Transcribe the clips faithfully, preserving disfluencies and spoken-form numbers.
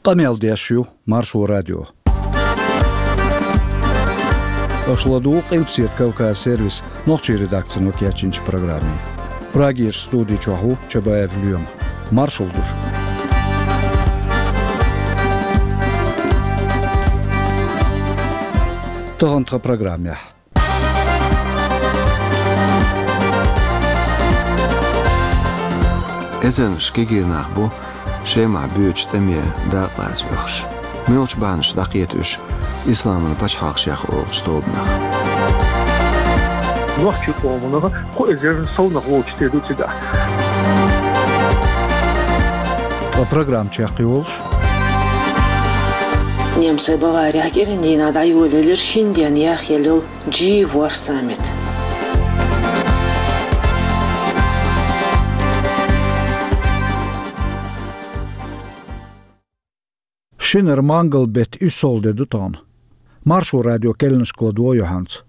Къамел деш ю Маршо радио. Аша ладугӀу Къилбаседа Кавказ сервисан нохчийн редакцино кечйинчу программе. Прагерчу студи чохь ву Чабаев Лоьма. Маршалла ду шуьга. Тахана тхан программехь. Эзарнаш кегий нах бу Шемахь боьдучу тӀаме дакъалаца оьхуш. Муьлхачу бахьанашца дӀакхета уьш Исламан пачхьалкх шех олучу тобанах? Нохчийн къоманах кху эзар сов нах волчу тӀе ду цигахь. Ткъа программа чекхйолуш. Немцойн Баварехь кӀиран дийнахь дӀайолаелира шина денна яхъелла йолу Джи ворхӀ саммит. Шинара мангал-беттан уьссалгӀа де ду тахана. Маршо радион керланашка ладугӀу юьхьанца.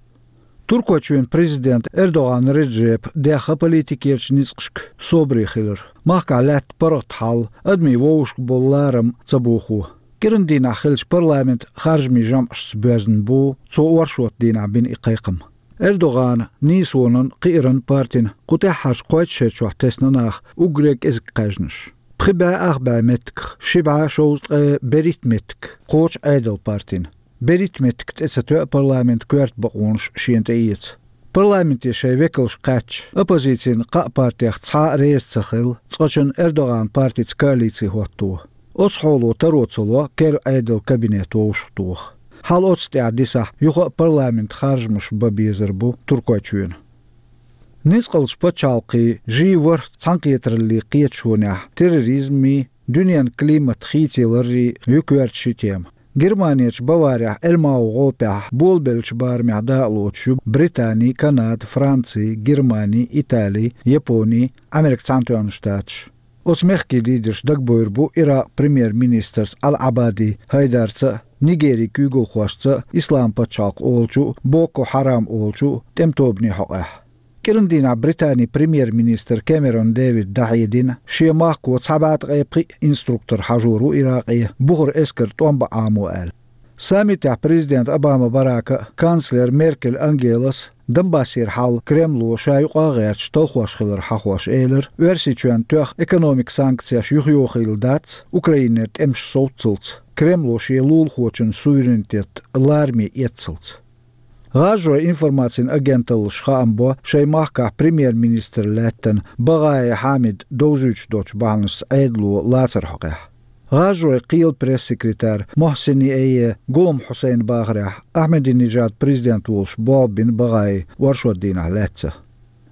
Туркойчоьнан президента Эрдоган Реджепа дехна политикерчу ницкъашка собаре хилар. Махкахь лаьтта паргӀат хьал, адамийн вовшашка болу ларам ца бохо. КӀиран дийнахь хиллачу парламентан харжамийн жамӀашца боьзна бу цо оршотан дийнахь бина и кхайкхам. Эрдогана, Нийсонан, кхиаран партина кху тӀаьххьарчу кхойтта шерчохь тесна нах уггаре кӀезиг кхаьжнаш. Пхи бӀе ах бӀе меттигах ши бӀе шовзткъе берхӀитта меттиг кхочу Ӏедалан партина. БерхӀитта меттиг тӀе ца тоьа парламентан коьрта бакъонаш шена тӀеэца. Парламенте шайн векалш кхаьчча, оппозицин кхаа партех цхьа а реза ца хилла, цкъачунна Эрдоган партица коалици хӀотто. Оцу хьоло таро ца ло керла Ӏедалан кабинет вовшахтоха. Хьал оцу тӀехь дисахь, юха а парламентан харжамаш бан безар бу Туркойчоьнан. Низкъалчу пачхьалкхийн жий ворхӀ цхьаьнакхетараллин кхеташонехь терроризммий, дуьненан климат хийцаларрий ю коьрта ши тема. Германерчу Баварехь Элмау гӀопехь болабеллачу барамехь дакъа лоцуш ю Британи, Канада, Франци, Германи, Итали, Япони, Американ Цхьаьнатоьхна Штаташ. Оцу мехкийн лидерш дагабевр бу Иракъан премьер-министрца Ал-Ӏабади ХӀайдарца а, Нигерин куьйгалхошца а, Ислам пачхьалкх олучу а, Боко Хьарам олучу а тӀеман тобанийн хьокъехь. КӀиран дийнахь Британин премьер-министр Кэмерон Дэвида дӀахьедина, шен махко цхьа бӀе ткъе пхиъ инструктор хьажор ву Иракъе, бухара эскар тӀом бан Ӏамо аьлла. Саммитехь президент Обама Барака а, канцлер Меркель Ангелас а Донбассера хьал Кремло ша юкъа а гӀерташ талхош хилар хьахош элира, Оьрсийчоьнна тоьхна экономикан санкцеш юхайохийла дац, Украинера тӀемаш совццалц, Кремло шен лулахочун суверенитет лараме эццалц. ГӀажаройн информацин агенталлаша хаам бо шайн махкахь премьер-министр лаьттина Багаи Хьамид довзуьйтуш долчу бахьанашца Ӏедало лацаран хьокъехь. ГӀажаройн кхелан пресс-секретарь Мохьсини Эйе Гулам Хьусайна бахарехь, Ахьмадинежад президент волуш болх бина Багаи оршот дийнахь лаьцна.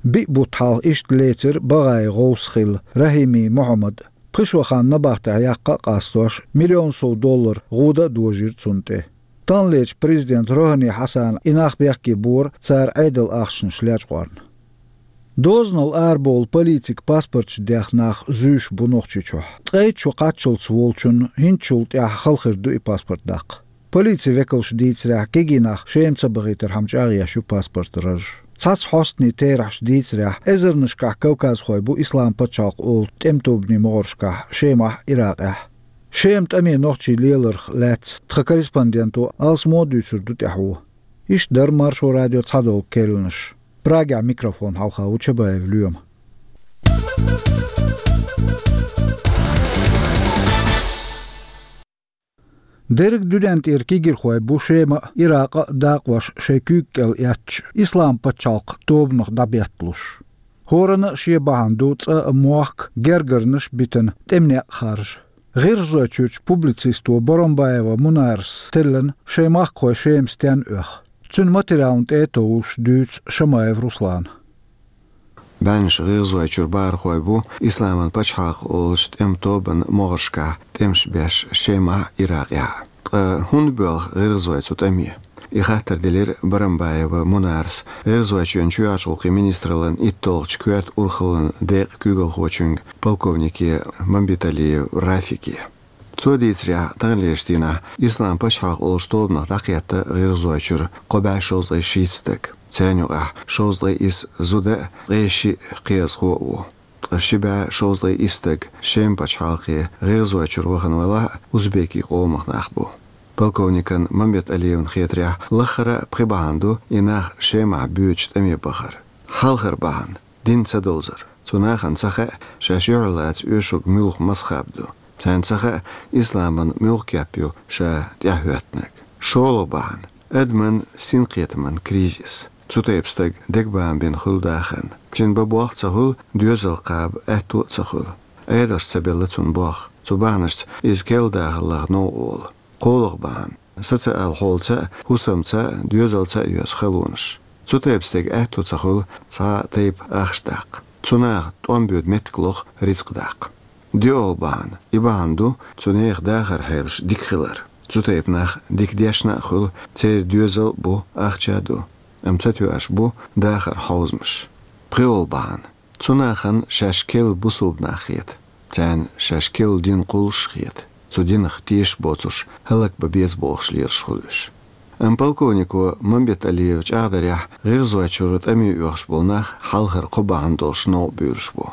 Биъ бутт хьалха иштта лецира Багаи гӀовс хилла Рахими Мухьаммад. Пхи шо хан набахтехь яккха а къастош, миллион сов доллар гӀуда а дожийра цунна тӀе. Таханлерчу президента Рохани Хьасана и нах бехке бора, цара Ӏедалан ахчанаш лечкъорна. Дозанал арабовла полицин паспорташ деха нах зуьйш бу Нохчийчохь. Ткъе итт шо кхаччалц волчунна хӀинцачул тӀаьхьа хала хир ду и паспорт даккха. Полицин векалша дийцарехь, кегий нах Шема ца бахийтархьама чӀагӀъеш ю паспортан раж. Цхьацца хьостийн терахьаша дийцарехь, эзарнашкахь кавказхой бу Ислам пачхьалкх олу тӀеман тобанийн могӀаршкахь, Шемахь а, Иракъехь а. Шеман тӀаме нохчий леларх лаьцна тхан корреспонденто алсамо а дуьйцур ду тӀаьхьо. Иштта дара Маршо радион цхьадолу керланаш. Прагехь микрофон хьалха ву Чабаев Лоьма. Дерриг дуьнен тӀера кегийрхой бу Шема а, Иракъа а дакъош шайн куьйга кӀел эцча, Ислам пачхьалкх тобанах дӀабетталуш. ХӀоранна а шен бахьана ду цӀа а, мохк а, гергарнаш а битина тӀеман некъ харжа. ГӀиргӀазойчуьрчу публицисто Боромбаева Мунарас теллина шайн махкахой Шема стенна оьху. Цуьнан материална тӀе а товш дуьйцу Шамаев Руслана. БӀеннаш ГӀиргӀазойчуьра бахархой бу Исламан пачхьалкх олучу тӀеман тобанан могӀаршкахь тӀемаш беш Шемахь а, Иракъехь а. Ткъа хӀунда боьлху гӀиргӀазой цу тӀаме? И хаттар делира Боромбаева Мунарас ГӀиргӀазойчоьнан чоьхьарчу гӀуллакхийн министраллан итталгӀачу коьрта урхаллин декъан куьйгалхочуьнга, полковнике Мамбеталиев Рафике. Цо дийцарехь, таханлерчу дийнахь Ислам пачхьалкх олучу тобанах дӀакхетта ГӀиргӀазойчуьра кхо бӀе шовзткъе шийтта стаг. Царна юкъахь шовзткъе исс зуда а, ткъе шиъ кхиазхо а ву. Ткъа ши бӀаь шовзткъе исс стаг Шема пачхьалкхе гӀиргӀазойчуьра вахана валахь а, узбекий къомах нах бу. Полковникан Мамбет-Алиевн хетарехь, лаххара а пхи бахьана ду и нах Шемахь буьйцучу тӀаме бахар. Хьалхара бахьана — дин ца довзар. Цу нахана ца хаьа, шаьш юьхьарлаца оьшург муьлха мазхӀаб ду. Царна ца хаьа, исламан муьлха кеп ю ша тӀаьхьахӀоьттинарг. ШолгӀа бахьана — адаман синкхетаман кризис. Цу тайпа стаг дегабама бина хуьлу дахарна. Цуьнан бан-болх ца хуьлу доьзал кхаба аьтто а ца хуьлу. Ӏедалш ца белла цунна болх. Цу бахьанашца иза керла дахар лаха новкъа волу. КхоалгӀа бахьана — социал хьолаца а, хӀусамца а, доьзалца а йоьзна халонаш. Цу тайпа стеган аьтто ца хуьлу цхьа а тайпа ахча даккха. Цу наха тӀом боьду меттиг лоху рицкъ даккха. ДоьалгӀа бахьана — и бахьана ду цу нехан дахаран хьелаш дика хилар. Цу тайпа нах дика дешна а хуьлу, церан доьзал а бу, ахча а ду, амма ца тоьаш бу дахаран хьовзамаш. ПхоьалгӀа бахьана — цу нахана шаьш керла бусулба нах хета. Царна шаьш керла дин кхуллуш хета. Цу динах тешаш боцурш хӀаллакбан беза бохуш лелаш хуьлу уьш. Амма полковнико Мамбет-Алиев чӀагӀдарехь, гӀиргӀазойчуьра тӀаме оьхуш болу нах хьалхара кхо бахьана долуш новкъа буьйлуш бу.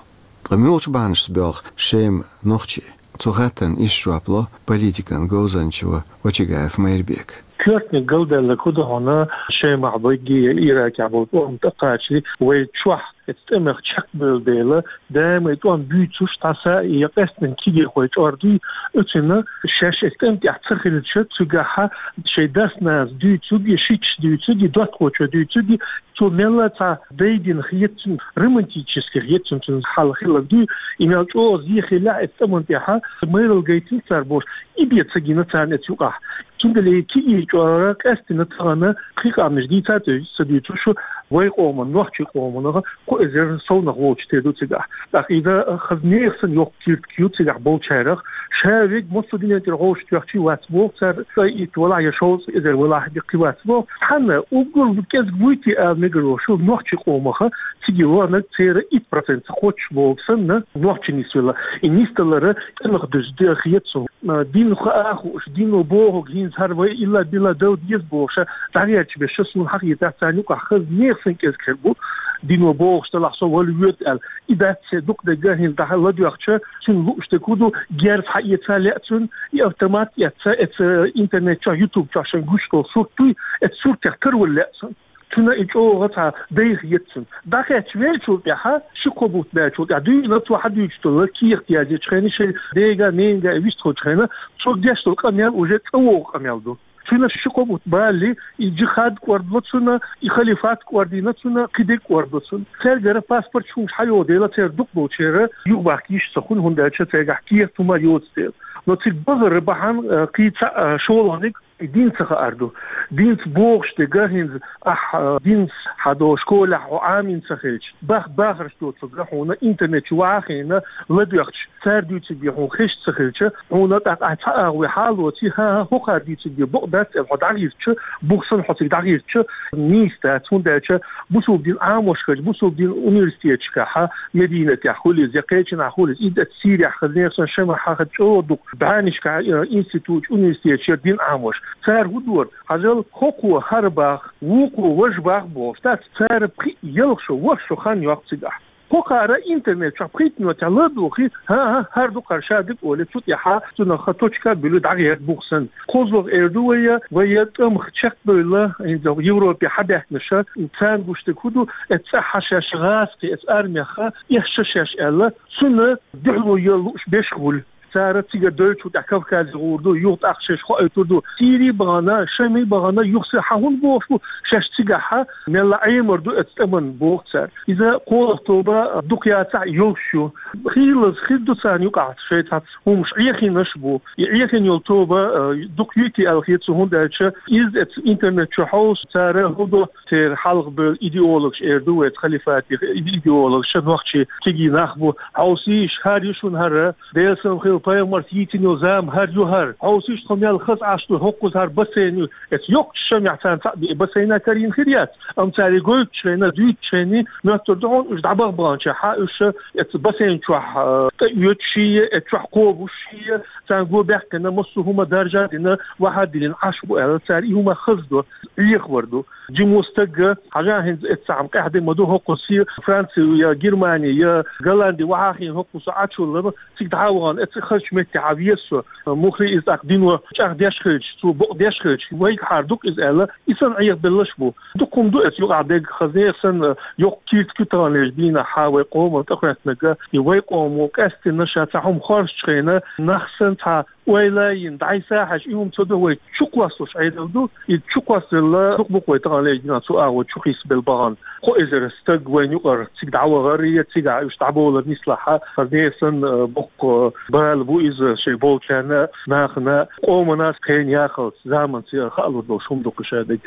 Ткъа муьлхачу бахьанашца боьлху Шема нохчий? Цу хаттарна иштта жоп ло политикан говзанчо Вачагаев Майрбека. Коьртаниг галдаьлларг хӀун ду хьуна, Шемахь бегий, Иракехь болу тӀом тӀекхачале, вай чохь эцу тӀемах чекхбевлла дела, даиман тӀом буьйцуш, цхьа схьа а я къаьсттина кегийрхой чӀор дуй, оьцуьнан шаьш эцу тӀам тӀехь ца хилча, цигахь шайн дас-нанас дуьйцург, я шиччас дуьйцург, я доттагӀчо дуьйцург, цо мелла а цхьа дайдина хета цунна, романтически хета цунна, цуьнан хьал хилларг дуй, и мел чӀогӀа зе хиллехь а эцу тӀамна тӀехь, майралла гайтина цара бохуш, и бен ца гина царна эцу юкъахь. Цундела и кегий чӀор къаьсттина тахана кхин къамелаш дийцад, ца дуьйцуш, вай къоман, нохчийн къоманах кхо эзар совнах волчу тера ду цигахь. ТӀаккха иза хаза нехан санна йоккха киртиг ю цигахь болчарах. Ша верг массо а дуьнен тӀера гӀовшах тоьхчий вац боху цара, ткъе итт валахь я шовзткъа эзар валахь, деккхий вац боху. Цхьана уггар кӀезиг вуй те ала мегар ву, шу нохчийн къомах цига ваханарг церан итт процент ца кхоччуш боху санна, нохчий нисвелла. И нисдалар тӀемах дуьсу де хета суна. Дин хаа а хууш, дино бохург хӀинца хӀара вай илла-билла дала деза бохуш, дӀагӀерташ берш суна хьахетахь, царна юкъахь хаза нехан санна кӀезиг хир бу, дино бохуш делахь со вала воьду аьлла. И дац церан дукха дерг, хӀинца дӀа ладоьгӀча, цуьнан лууш дерг хӀун ду, герз схьаэца лаьа цунна, и автомат эцна, эцу интернет чохь, YouTube чохь шайн гуш долу сурт дуй, эцу суртех тарвала лаьа цунна. Цуьнан и чӀогӀа цхьа дайх яц цуьнан. ДӀакхаьчча веллачул тӀаьхьа, ши-кхо бутт баьллачул тӀаьхьа дуьйна цо хьан дуьйцуш долу кехат язйечу хенахь, шайн дега, мега, вистхуьлучу хенахь, цо деш долу къамел уже цӀа вогӀу къамел ду. Цуьнан ши-кхо бутт балале, и джихад кӀордало цунна, и халифат кӀордийна цунна, кхидерг кӀордало цунна. Цаьргара паспорт хӀумаш хьан йогӀу дела, церан дукха болчеран юхабахка йиш ца хуьлу, хӀунда аьлча цаьргахь кехат хӀума йоцу дела. Но цига бахара бахьана, э, кхин цхьа, э, шолгӀаниг, и дин ца хаар ду. Динца бохуш дерг, хӀинца ахь, а, динца хьан долу школехь хьо Ӏамийна ца хилча, бах-, бахарш доцург хьуна интернет чу вахийна ладоьгӀча, цара дуьйцург бен хьуна хезаш ца хилча, хьуна тӀаккха ахь цхьа агӀо хьалоций, хӀан-хӀа, хӀокхара дуьйцург бен бакъ дац аьлла хьо дӀагӀиртича, бух санна хьо цига дӀагӀиртича, нийса дац, хӀунда аьлча бусулба дин Ӏамош хилча, бусулба дин университеташкахь, Мединатехь хуьлийла, я кхечанхьа хуьлийла, и дац Сирехь хаза, нехан санна Шемахь хаза чӀогӀа дукха, бӀаьннашкахь, э, институташ, университеташ яра дин Ӏамош. Цара хӀун дора? Хьажал, хӀокхо хӀара бах, вукхо важа бах бохуш дац, цара пхиъ, ялх шо, ворхӀ шо хан йоккху цигахь. ХӀокхара интернет чохь пхийтта минот тӀехь ладугӀу хи, хӀан-хӀа, хӀара ду кхара ша дика олий, цу тӀехьа цунах ха точка буьллу дӀагӀерта бух санна. КхозлагӀа эр ду вай, вай тӀамах чекхбевлла, хӀинца Европе хьабаьхкинарш, царна гуш дерг хӀун ду, эцу цӀахь шаьш гӀазкхи, эцу армех эшша шаьш аьлла, цунна дуьхьало яла лууш берш хуьлу. Цара цига девллачул тӀаьхьа Кавказе гӀур ду, юха тӀаккха шаьш хоуьйтур ду. Сири бахана, Шеми бахана, юха са хьан хӀунда бохуш бу, шаьш цигахь мелла Ӏемар ду эцу тӀаман боху цара. Иза кхоалгӀа тоба дукха яцахь а йолуш ю. Хийлаза хир ду царна юкъахь шайн цхьацца хӀумаш, Ӏехийнарш бу. И Ӏехийна йолу тоба, э, дукха юй те аьлла хета суна, хӀунда аьлча иза эцу интернет чу хьовсуш цара хӀун до, церан хьалха бевлла идеологаш эр ду вай, халифатан иде-, идеологаш, нохчийн кегий нах бу. Хьовсийша, хӀара ю шуна хӀара, Делан салам хилла пайхамарца йийцина йолу зама хӀара ю хӀара. Хьовсийша, тхо мел хаза Ӏаш ду, хӀокхуза хӀара бассейн ю. Эцу йоккхачу Шемехь царна цхьаъ бен бассейн а карийна хир яц. Амма цара и гойтучу хенахь, дуьйцучу хенахь моьттур ду хьуна, уьш дӀабаха баханчохь, хьан уьш эцу бассейн чохь, э, тӀеоьцуш ший, эцу чохь кхобуш ший, царна го баьккхина, массо а хӀума даржа а дина, вахьа а диллина Ӏаш бу аьлла, цара и хӀума хаза ду, Ӏехавар ду. Жима стаг, хьажа хӀинца эццахьа къаьхьа де ма ду, хӀокху си-, Франци я Германи, я Голланди вахьа хин хӀокху со Ӏачулла, цига дӀа а вахана, эццахь хазачу метте хьан веза со, муххале иза тӀаккха дино чӀагӀдеш хилча, цо бакъдеш хилча, вайгахьара ду-кх иза аьлла, и санна Ӏехабеллаш бу. Дукха хӀума ду эцу юкъахь дерг, хаза нехан санна, йоккха кийртиг ю таханлерчу дийнахь вай къоман тӀехӀоьттинарг, и вай къомо къаьстина ша цхьа хӀума хоржучу хенахь, нах санна цхьа ойла йина, дӀасахьаш, и хӀума ца до, вай чукхоссалуш Ӏедал ду, и чукхоссалла дукха бу-кх вай таханлерчу дийнахь цу агӀор чу хьийсабелла бахана. Кхо эзар стаг вайна юкъара цига дӀавахар, я цигахь уьш дӀабовлар нислахь, хаза нехан санна, боккха бала бу иза шайн болчарна, нахана, къомана, кхин яхалц, заманца хаалур долуш хӀума ду-кх ша дерг.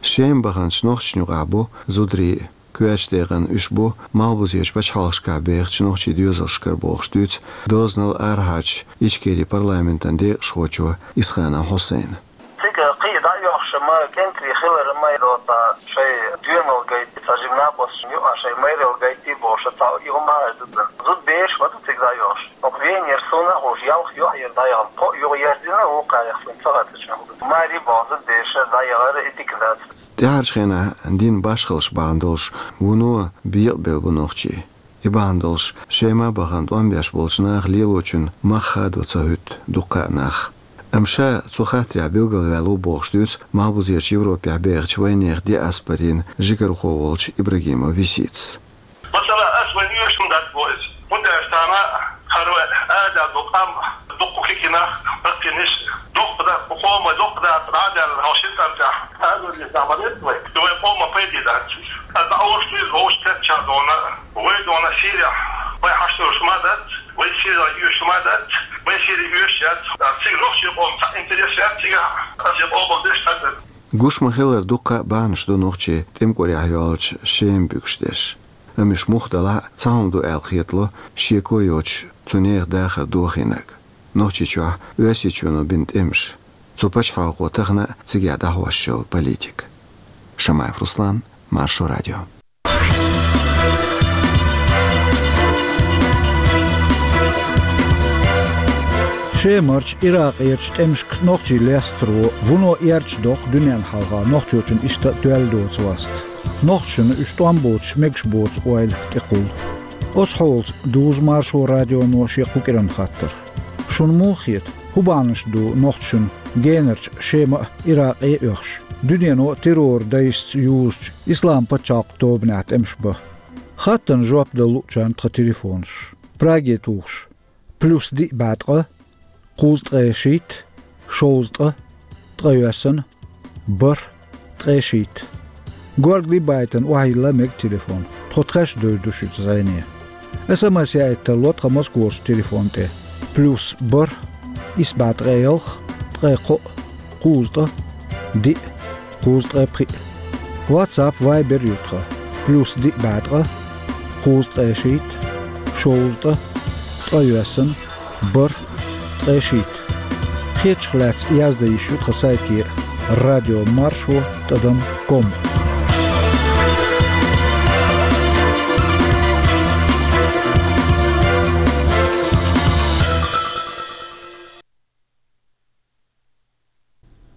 Шема баханчу нохчашна юкъахь бу зударий. Коьртачу декъана уьш бу малхбузерчу пачхьалкхашкахь бехачу нохчийн доьзалшкара бохуш дуьйцу дозанал арахьарчу Ичкерин парламентан декъашхочо Исханов Хьусайна. Цига кхин дӀайоьхуш ма, кӀентий хилар ма, и доцу шайн доьналла гайта, цхьа жимнакъосташна юкъахь шайн майралла гайта бохуш, цхьа и хӀума а ду царна. Зудабераш ма ду цига дӀайоьхуш. Оха венера суна а хууш, ялх юьхьера дӀаяхна, кхоъ юха ерзина, вукхарех суна ца хаьттича хӀума ду. Маре боху зудабераш дӀаяхар и дика дац. ТӀаьхьарчу хенахь дина башхаллаш бахьана долуш вуно бекъабелла бу нохчий. И бахьана долуш Шема бахана тӀом беш болчу наха лелочун мах хадо ца хӀуьтту дуккха а нах. Амма ша цу хаттарехь билгалваьлла ву бохуш дуьйцу малхбузерчу Европехь бехачу вайнехан диаспорин жигархо волчу Ибрагимов Виситас. Масала, ас вайн оьшуш ма дац бо иза. ХӀунда аьлча тахана хӀара вай ада ду къам дуккха кхин нах баккхийнаш, дуккха дан, кху къомо дуккха дацара а даьлла, хьо ши цӀа тӀехь ада дийца ма деза вай. Ду вайн къомо пайде дац. Аса дӀаоьшу ду иза вовшашка кечдона, вай дона Сирехь вай хьаштуьйсуш ма дац, вай Сирехь оьшуш ма дац, вай Сирехь оьшуш яц. Цига нохчийн къоман цхьа интерес яц цигахь, аса и къомо деш ца дац. Гуш ма-хиллара, дуккха а бахьанаш ду нохчий тӀемкъурехь йолчу Шема буьгуш дерш. Амма уьш муха далахь а, цхьа хӀума ду аьлла хетало шеко йоцуш цу нехан дахар дохийнарг. Нохчийчохь Оьрсийчоьно бина тӀемаш. Цу пачхьалкхо тахана а цигахь дӀахьош йолу политика. Шамаев Руслан, Маршо радио. Шемарчу, Иракъерчу тӀемашка нохчий лестаро вуно эрча доккху дуьненна хьалха нохчочун иштта а тоьлла доцу васт. Нохчашна уьш тӀом боцуш мегаш боцу ойла тӀекхуллу. Оцу хьолаца дузу Маршо радионо шен кху кӀиран хаттар. Шуна муха хета, хӀун бахьанаш ду нохчашна генарчу Шема а, Иракъе а оьхуш, дуьнено а террор дайшца юзучу Ислам пачхьалкх тобанехь тӀемаш бан? Хаттарна жоп дала луучарна тхан телефонаш. Праге тухуш: плюс диъ бӀе ткъа, кхузткъе шийтта, шовзткъа, ткъайоьсна, бархӀ, ткъе шийтта. Горгали байтана охьайилла мега телефон. Тхо тхаьш девр ду шуьца зӀене. СМС яийта тарло тхан Москварчу телефон тӀе: плюс бархӀ, исс бӀе ткъе ялх, ткъе кхоъ, кхузткъа, диъ, кхузткъе пхиъ. WhatsApp, Viber ю тхан: плюс диъ бӀе ткъа, кхузткъе шийтта, шовзткъа, ткъайоьсна, бархӀ, ткъе шийтта. Хетачух лаьцна яздан йиш ю тхан сайте радио маршо тӀадам ком.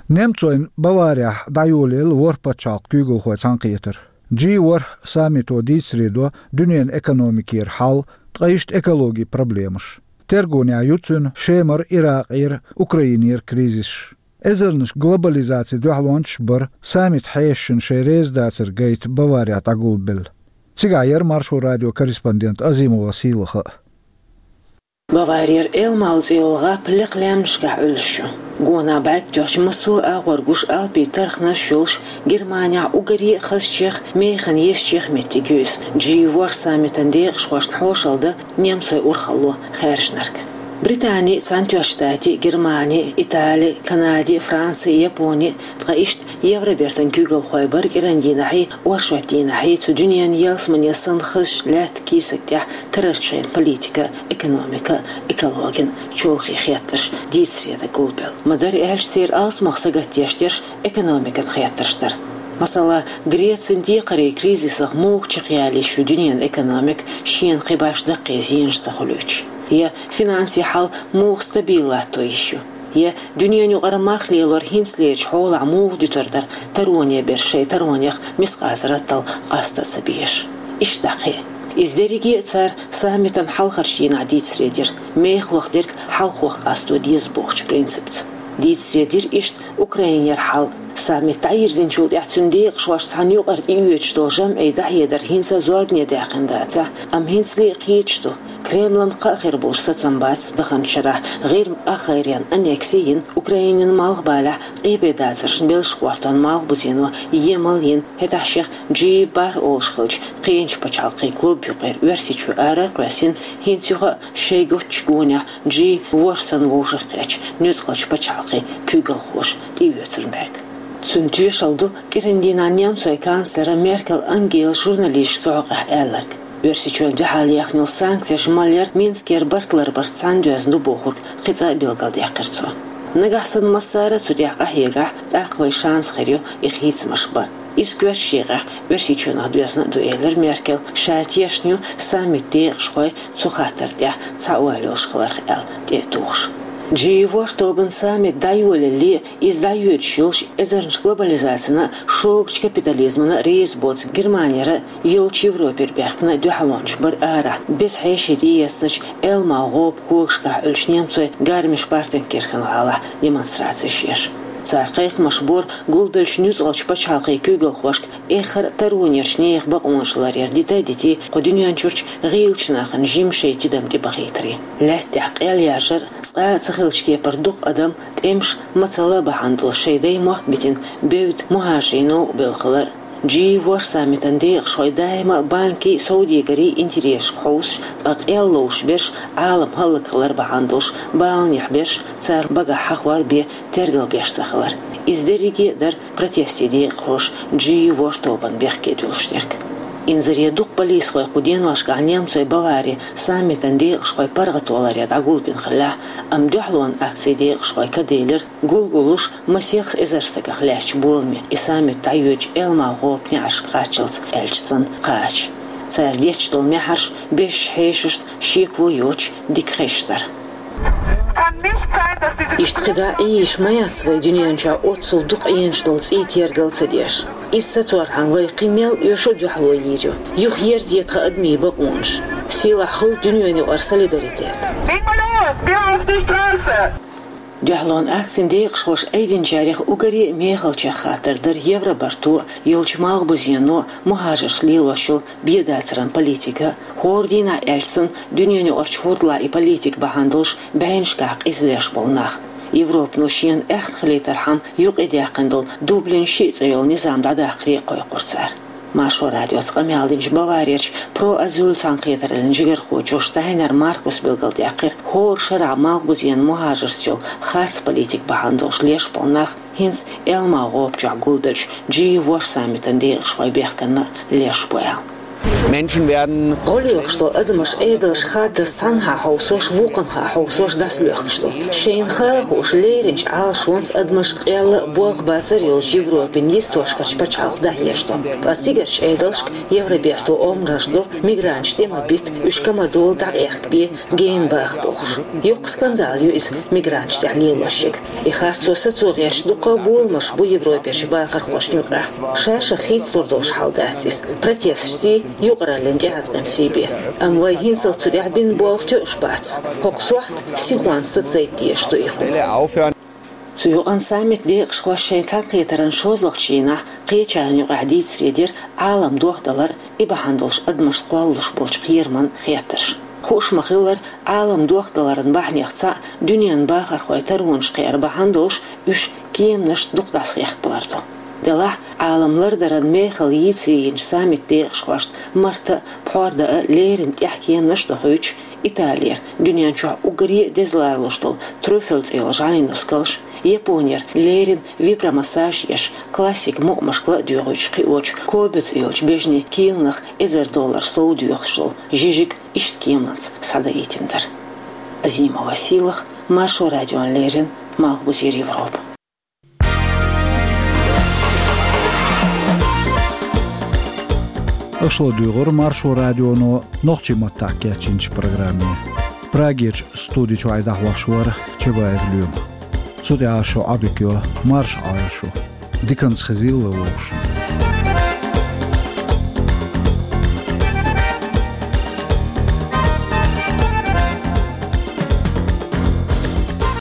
Немцойн Баварехь дӀайолаелла ворхӀ пачхьалкх куьйгалхой цхьаьнакхетар. Джи ворхӀ саммито дийцаре до дуьненан экономикера хьал, ткъа иштта экологин проблемаш. Тергонехь ю цуьнан Шемара, Иракъера, Украинера кризисаш. Эзарнаш глобализацин дуьхьалончаш бара саммитан хьешашна шайн реза дацар гайта Баварехь дӀагулбелла. Цигахь яра Маршо радион корреспондент Азимова Сийлаха а. Баварера Элмау цӀе йолу гӀап лекха лаьмнашкахь Ӏуьллуш ю. Гонах бӀаьрг тоьхча, массо а агӀор гуш алпийн тарханаш йолуш, Германехь уггаре а хазачех, механа езачех меттиг ю иза. Джи ворхӀ саммитан декъашхошна хьошалла дан немцойн урхалло хаьржинарг. Британи, Цхьаьнатоьхначу Штатий, Германи, Итали, Канади, Франци, Япони, ткъа иштта Евробертан куьйгалхой бара кӀиран дийнахьий, оршот дийнахьий цу дуьненан ялсамане санна хазачу лаьттан кийсак тӀехь карарчу шайн политикан, экономикан, экологин, чолхе хеттарш дийцаре дан гулбелла. Ма-дарра аьлча, церан алсамах сагатдеш дерш экономикан хеттарш дара. Масала, Грецин декхарийн кризисах муха чекхъяла йиш ю дуьненан экономика, шена кхин башха даккхий зенаш ца хуьлуьйтуш? Я финансийн хьал муха стабил латто йиш ю? Я дуьненаюкъара мах лелор хӀинцалерчу хьолахь муха дуьтур дара тароне берш шайн таронех мискъаза раттал къаста ца безаш? Иштта дӀакхехьа. Иза дерриге а цара саммитан хьалхарчу дийнахь дийцаре дира, мехалах дерг хьалхох къасто деза бохучу принципца. Дийцаре дира иштта Украинера хьал. Саммит дӀайирзинчул тӀаьхьа цуьнан декъашхошца цхьаьна юкъара тӀеоьцуш долу жамӀийн дӀахьедар хӀинца а зорбане даьккхина дацахь, амма хӀинцале а кхеташ ду, Кремлан кхаъ хир болуш сацам бац даханчу шарахь ГӀирма къаххайрен аннекси йина Украинин малхбалехь къепедацаршна белш гӀортон малхбузено емал йина, хӀетахь шех Джи бархӀ олуш хиллачу кхечу пачхьалкхийн клуб юкъера Оьрсийчоь ара а кхоьссина, хӀинца юха а шайн гуччу гонехь Джи ворхӀ санна вовшахкхетча, нуьцкъалчу пачхьалкхийн куьйгалхоша тӀеоьцурна берг. Цуьнан тоьшалла ду кӀиран дийнахь немцойн канцлера Меркел Ангелас журналисташка цу хьокъехь аьлларг. Оьрсийчоьнна дуьхьал яьхна йолу санкцеш малъяр Минскера барт ларбарца цхьаьна доьзна ду бохург кхин цкъа а билгалдаьккхира цо. Нагахь санна массара а цу тӀехь къахьегахь, тӀаккха вайн шанс хир ю и хийцамаш бан. Иза коьртачу декъехь Оьрсийчоьнах доьзна а ду, элира Меркел, ша тешна ю саммитан декъашхой цу хаттар тӀехь цхьаъ валлалуш хиларх аьлла тӀе а тухуш. Джи ворхӀ тобанан саммит дӀайолале а, иза дӀайоьдуш йолуш эзарнаш глобализацина а, шогачу капитализмана а реза боцу Германера а, йолчу Европера баьхкина а дуьхьалончаш бара арахь, беза хьеший тӀеэцначу Элмау гӀопан когашкахь Ӏуьллучу немцойн Гармиш-Партенкирхен гӀалахь демонстрацеш еш. Цара кхайкхамаш бора гулбеллачу нуьцкъалчу пачхьалкхийн куьйгалхошка эххар а таронерчу нехан бакъонаш ларъяр дита а дитий, кху дуьнен чуьрчу гӀийлачу нахана жимма шайн тидам тӀебахийтарий. Лаьтта тӀехь къел яржар, цкъа а ца хиллачу кепара дукха адам, тӀемаш, мацалла а бахьана долуш шайн даймохк а битина бевдда мухӀажарийн новкъа бевлла хилар а, Джи ворхӀ саммитан декъашхой даима а банкийн а, совдегарийн а интересашка хьовсуш, ткъа къел ловш берш Ӏалам хӀаллакьхилар бахьана долуш баланехь берш, цара багахь хьахор бен тергал беш ца хилар. Иза дерриге а дара протестийн декъашхоша Джи ворхӀ тобанна бехке дуьллуш дерг. Инзаре дукха полисхой кху деношкахь немцойн Баварин саммитан декъашхойн паргӀатоларе дӀагулбина хиллехь, амма дуьхьалонан акцийн декъашхой ка делира, гулгуллуш масех эзар стагах лаьттачу боламе, и саммит дӀайоьдучу Элмау гӀопан неӀаршка кхаччалц аьлча санна кхача. Цара детташ долу маьхьарш безачу хьешашна шеко йоцуш дика хезаш дара. Иштта кхидӀа а Ӏийша ма яц вай дуьнен чохь оццул дукха Ӏенаш долу цӀий тергал ца деш. Иза сацорхьама вай кхин мел оьшу дуьхьало йийр ю. Юха ерзае тхан адамийн бакъонаш. Сийлахь хуьлда дуьненаюкъара солидаритет. Дуьхьалонан акцийн декъашхоша айдинчарех уггаре а мехалчех хаттар дара Евробарто а, йолчу малхбузено а, мухӀажаршца лелош йолу бен дацаран политика а. ХӀора дийнахь аьлча санна, дуьненаюкъарчу хӀордалахь и политика бахьана долуш бӀеннашкахь къиза леш болу нах. Европано шена аьхна хилийтархьама юкъадаьккхина долу Дублин шиъ цӀе йолу низам дӀадаккхаре а кхойкхура цара. Маршо радиоца къамел динчу Баварерчу «Про Азюль» цхьаьнакхетараллин жигархочо Штайнер Маркуса билгалдаьккхира, хӀора шарахь малхбузен мухӀажаршца йолу харц политика бахьана долуш леш болу нах хӀинца Элмау гӀопа чохь гулбеллачу Джи ворхӀ саммитан декъашхойн бехкенна леш бу аьлла. Menschen werden гӀо лоьхуш долу адамаш Ӏедалша хаддаза цхьанхьа хьовсош, вукханхьа хьовсош дӀасалоьхкуш ду. Шайна ха а хууш, леринчу Ӏалашонца адамаш къелла а, болх бацар а йолчу Европин йистошкарчу пачхьалкха дӀахьежаш ду. Ткъа цигарчу Ӏедалшка Евробарто омранаш до, мигранташ тӀе ма бита, уьш ка ма долу, дӀакъехка бе, гена баха бохуш. Йоккха скандал ю иза мигранташна тӀехь лелош ерг. И харцо сацо гӀерташ дуккха а боламаш бу Европерчу бахархошна юкъахь. Ша-шех хийцалур долуш хьал дац иза, протесташций, юкъараллин тӀеӀаткъамций бен. Амма вай хӀинццалц цу тӀехь бина болх тоьуш бац. ХӀокху сохьта сихонца сацийта дезаш ду и хӀума. Цу юкъанна саммитан декъашхоша шайн цхьаьнакхетаран шозлагӀчу дийнахь кхечарна юкъахь дийцаре дира Ӏалам дохдалар, и бахьана долуш адамашна кхоллалуш болчу кхераман хеттарш. Хууш ма-хиллара, Ӏалам дохдаларан бахьанех цхьаъ дуьненан бахархойн таронаш кхиар бахьана долуш уьш кеманашца дукха дӀасахехкабалар ду. Делахь, Ӏалам лардаран мехала йийцаре йинчу саммитан декъашхошна марта а, пхьор дан а леррина тӀехь кеманаш а дохуьйтуш, Италера, дуьнен чохь уггаре а деза ларалуш долу трюфель цӀе йолу жӀаьлин нускалш, Японера леррина вибромассаж еш, классикан мукъамашка ла а доьгӀуьйтуш кхиочу Кобе цӀе йолчу бежнийн кийланах эзар доллар сов доьхуш долу жижиг иштта кеманца схьадаийтина дара. Азимова Сийлаха, Маршо радиона леррина, Малхбузера Европа. Аша ладуьйгӀура Маршо радионо нохчийн маттахь кечйинчу программе. Прагерчу студи чуьра дӀахьош вара Чабаев Лоьма. Цу тӀехь шун Ӏодика йо, марша Ӏойла шу. Диканца хезийла вай вовшашна.